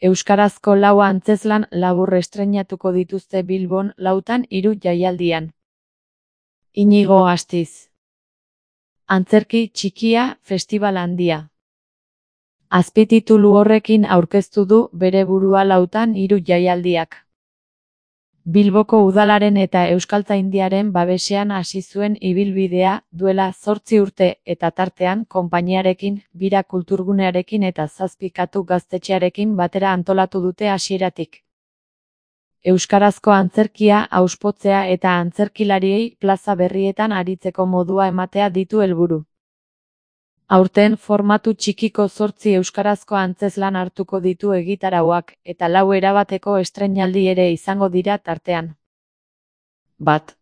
Euskarazko lau antzezlan labur estreinatuko dituzte Bilbon lautan 3 jaialdian. Inigo Astiz. Antzerki txikia, festibal handia. Azpititulu horrekin aurkeztu du bere burua lautan 3 jaialdiak. Bilboko udalaren eta Euskaltzaindiaren babesean hasi zuen ibilbidea duela 8 urte eta tartean konpainiarekin, Bira kulturgunearekin eta 7 katu gaztetxearekin batera antolatu dute hasieratik. Euskarazko antzerkia hauspotzea eta antzerkilariei plaza berrietan aritzeko modua ematea ditu helburu. Aurten formatu txikiko 8 euskarazko antzezlan hartuko ditu egitarauak, eta 4 erabateko estreinaldi ere izango dira tartean. 1.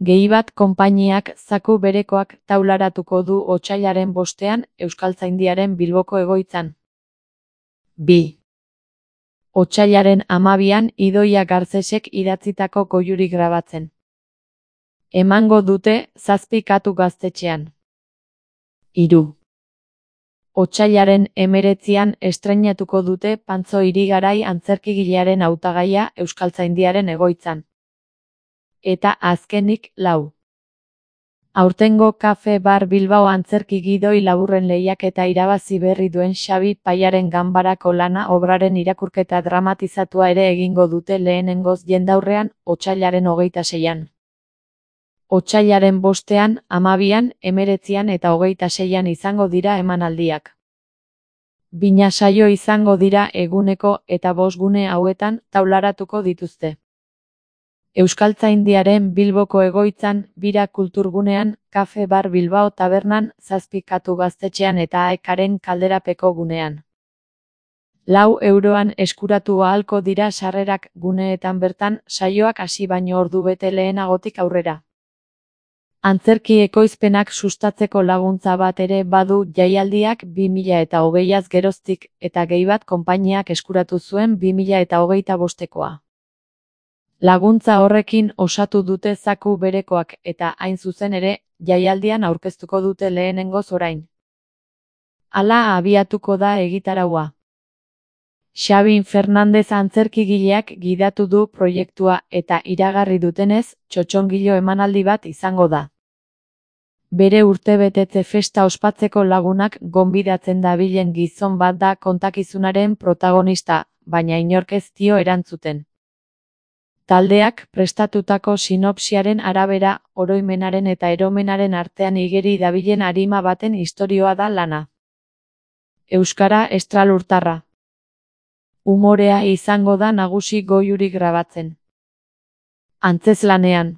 Gehi bat konpainiak zaku berekoak taularatuko du otsailaren 5ean Euskaltzaindiaren Bilboko egoitzan. 2. Otsailaren 12ean Idoia Garcesek idatzitako goiuri grabatzen. Emango dute 7 katu gaztetxean. 3. Otsailaren 19ean estreinatuko dute Pantzo Irigarai antzerkigilearen hautagaia Euskaltzaindiaren egoitzan. Eta azkenik 4. Aurtengo Kafe Bar Bilbao antzerki gidoi laburren lehiaketa irabazi berri duen Xabi Paiaren ganbarako lana obraren irakurketa dramatizatua ere egingo dute lehenengoz jendaurrean, otsailaren 26ean. Otsailaren 5ean, 12ean, 19ean eta 26ean izango dira emanaldiak. 2 saio izango dira eguneko eta 5 gune hauetan taularatuko dituzte. Euskaltzaindiaren Bilboko egoitzan, Bira kulturgunean, Kafe Bar Bilbao tabernan, 7 katu gaztetxean eta Aekaren kalderapeko gunean. 4 euroan eskuratu ahalko dira sarrerak guneetan bertan, saioak hasi baino ordu bete lehenagotik aurrera. Antzerki ekoizpenak sustatzeko laguntza bat ere badu jaialdiak 2020az geroztik, eta gehi bat konpainiak eskuratu zuen 2025ekoa. Laguntza horrekin osatu dute zaku berekoak eta hain zuzen ere, jaialdian aurkeztuko dute lehenengoz orain. Hala abiatuko da egitaraua. Xabi Fernandez antzerkigileak gidatu du proiektua eta iragarri dutenez, txotxongilo emanaldi bat izango da. Bere urtebetetze festa ospatzeko lagunak gonbidatzen dabilen gizon bat da kontakizunaren protagonista, baina inork ez dio erantzuten. Taldeak prestatutako sinopsiaren arabera, oroimenaren eta eromenaren artean igeri dabilen arima baten istorioa da lana. Euskara estralurtarra. Umorea izango da nagusi goiuri grabatzen. Antzezlanean.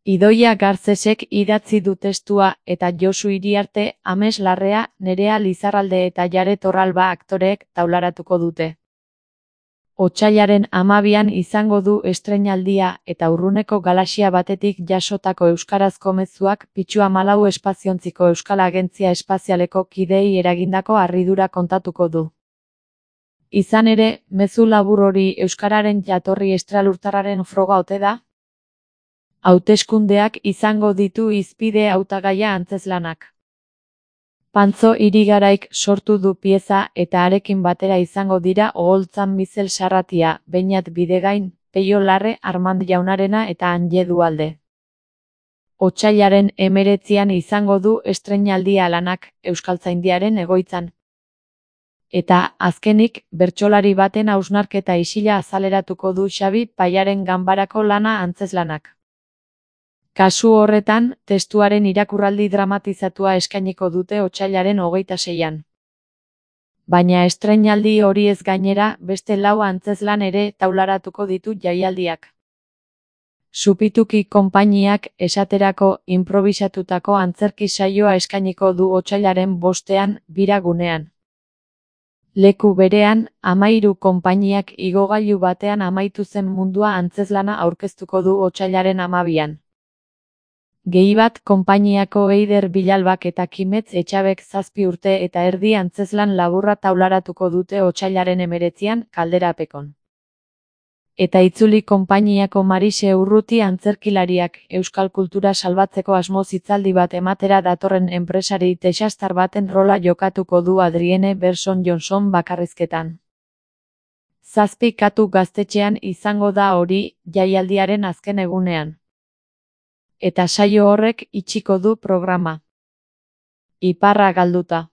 Idoia Garcesek idatzi du testua eta Josu Iriarte, Ames Larrea, Nerea Lizarralde eta Jare Torralba aktoreek taularatuko dute. Otsailaren 12ean izango du estreinaldia eta urruneko galaxia batetik jasotako euskarazko mezuak Pitxu 14 espaziontziko Euskal Agentzia Espazialeko kideei eragindako harridura kontatuko du. Izan ere, mezu labur hori euskararen jatorri estralurtarraren froga ote da? Hauteskundeak izango ditu hizpide hautagaia antzezlanak. Pantzo Irigaraik sortu du pieza eta harekin batera izango dira Oholtzan Mizel Sarratia, Beñat Bidegain, Peio Larre, Armand Jaunarena eta Anje Dualde. Otsailaren 19ean izango du estreinaldia lanak Euskaltzaindiaren egoitzan. Eta, azkenik, bertsolari baten hausnarketa isila azaleratuko du Xabi Paiaren ganbarako lana antzezlanak. Kasu horretan, testuaren irakurraldi dramatizatua eskainiko dute otsailaren 26ean. Baina estreinaldi horiez gainera, beste 4 antzezlan ere taularatuko ditu jaialdiak. Supituki konpainiak, esaterako, inprobisatutako antzerki saioa eskainiko du otsailaren 5ean, Bira gunean. Leku berean, 13 konpainiak igogailu batean amaitu zen mundua antzezlana aurkeztuko du otsailaren 12ean. Gehi bat konpainiako Eider Bilalbak eta Kimetz Etxabek 7 urte eta erdi antzezlan laburra taularatuko dute otsailaren 19ean Kalderapekon. Eta itzuli konpainiako Marise Urruti antzerkilariak euskal kultura salbatzeko asmoz hitzaldi bat ematera datorren enpresari texastar baten rola jokatuko du Adrienne Berson Johnson bakarrizketan. 7 katu gaztetxean izango da hori, jaialdiaren azken egunean. Eta saio horrek itxiko du programa. Iparra galduta.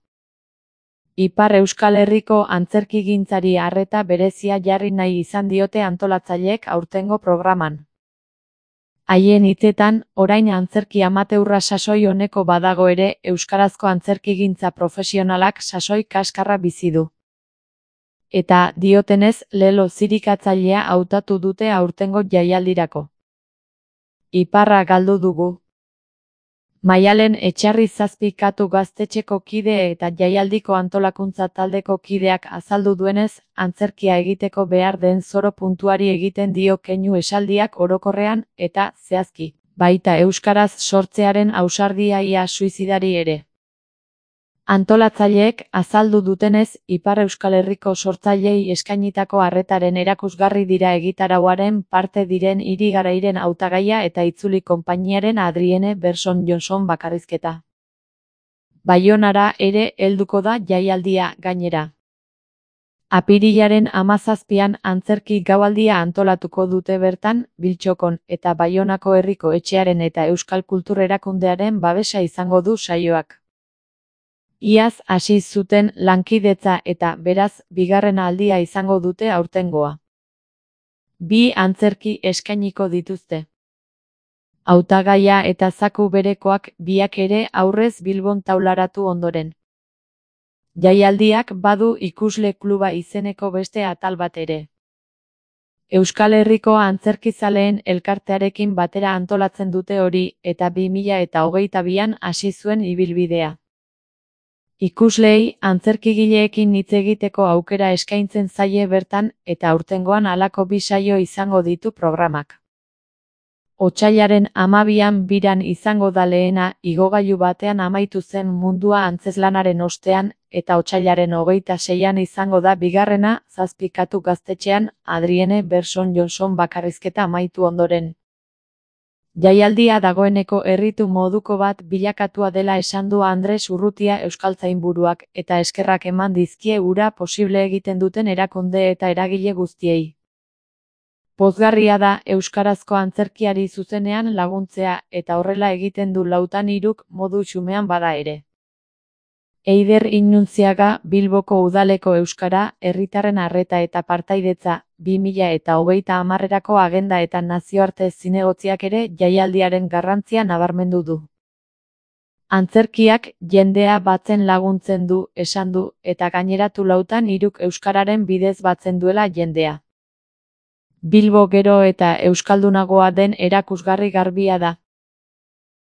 Ipar Euskal Herriko antzerkigintzari arreta berezia jarri nahi izan diote antolatzaileek aurtengo programan. Haien hitzetan, orain antzerki amateurra sasoi oneko badago ere, euskarazko antzerkigintza profesionalak sasoi kaskarra bizi du. Eta, diotenez, Lelo zirikatzailea hautatu dute aurtengo jaialdirako. Iparra galdu dugu. Maialen Etxarri 7 katu gaztetxeko kide eta jaialdiko antolakuntza taldeko kideak azaldu duenez, antzerkia egiteko behar den zoro puntuari egiten dio keinu esaldiak orokorrean, eta, zehazki, baita euskaraz sortzearen ausardia ia suizidari ere. Antolatzaileek azaldu dutenez, Ipar Euskal Herriko sortzaileei eskainitako arretaren erakusgarri dira egitarauaren parte diren Hiri Garairen hautagaia eta itzuli konpainiaren Adrienne Berson Johnson bakarrizketa. Baionara ere helduko da jaialdia gainera. Apirilaren 17an antzerki gaualdia antolatuko dute bertan, Biltxokon, eta Baionako Herriko Etxearen eta Euskal Kultur Erakundearen babesa izango du saioak. Iaz hasi zuten lankidetza eta, beraz, bigarren aldia izango dute aurtengoa. 2 antzerki eskainiko dituzte. Hautagaia eta zaku berekoak biak ere aurrez Bilbon taularatu ondoren. Jaialdiak badu ikusle kluba izeneko beste atal bat ere. Euskal Herriko antzerkizaleen elkartearekin batera antolatzen dute hori, eta 2022an hasi zuen ibilbidea. Ikusleei antzerkigileekin hitz egiteko aukera eskaintzen zaie bertan, eta aurtengoan halako 2 saio izango ditu programak. Otsailaren 12an biran izango da lehena, igogailu batean amaitu zen mundua antzezlanaren ostean, eta otsailaren 26an izango da bigarrena, 7 katu gaztetxean, Adrienne Berson Johnson bakarrizketa amaitu ondoren. Jaialdia dagoeneko erritu moduko bat bilakatua dela esan du Andres Urrutia euskaltzainburuak, eta eskerrak eman dizkie hura posible egiten duten erakunde eta eragile guztiei. Pozgarria da euskarazko antzerkiari zuzenean laguntzea, eta horrela egiten du 4-3 modu xumean bada ere. Eider Inuntziaga, Bilboko Udaleko Euskara, Herritarren Arreta eta Partaidetza, 2030erako agenda eta nazioarte zinegotziak ere jaialdiaren garrantzia nabarmendu du. Antzerkiak jendea batzen laguntzen du, esan du, eta gaineratu 4-3 euskararen bidez batzen duela jendea. Bilbo gero eta euskaldunagoa den erakusgarri garbia da.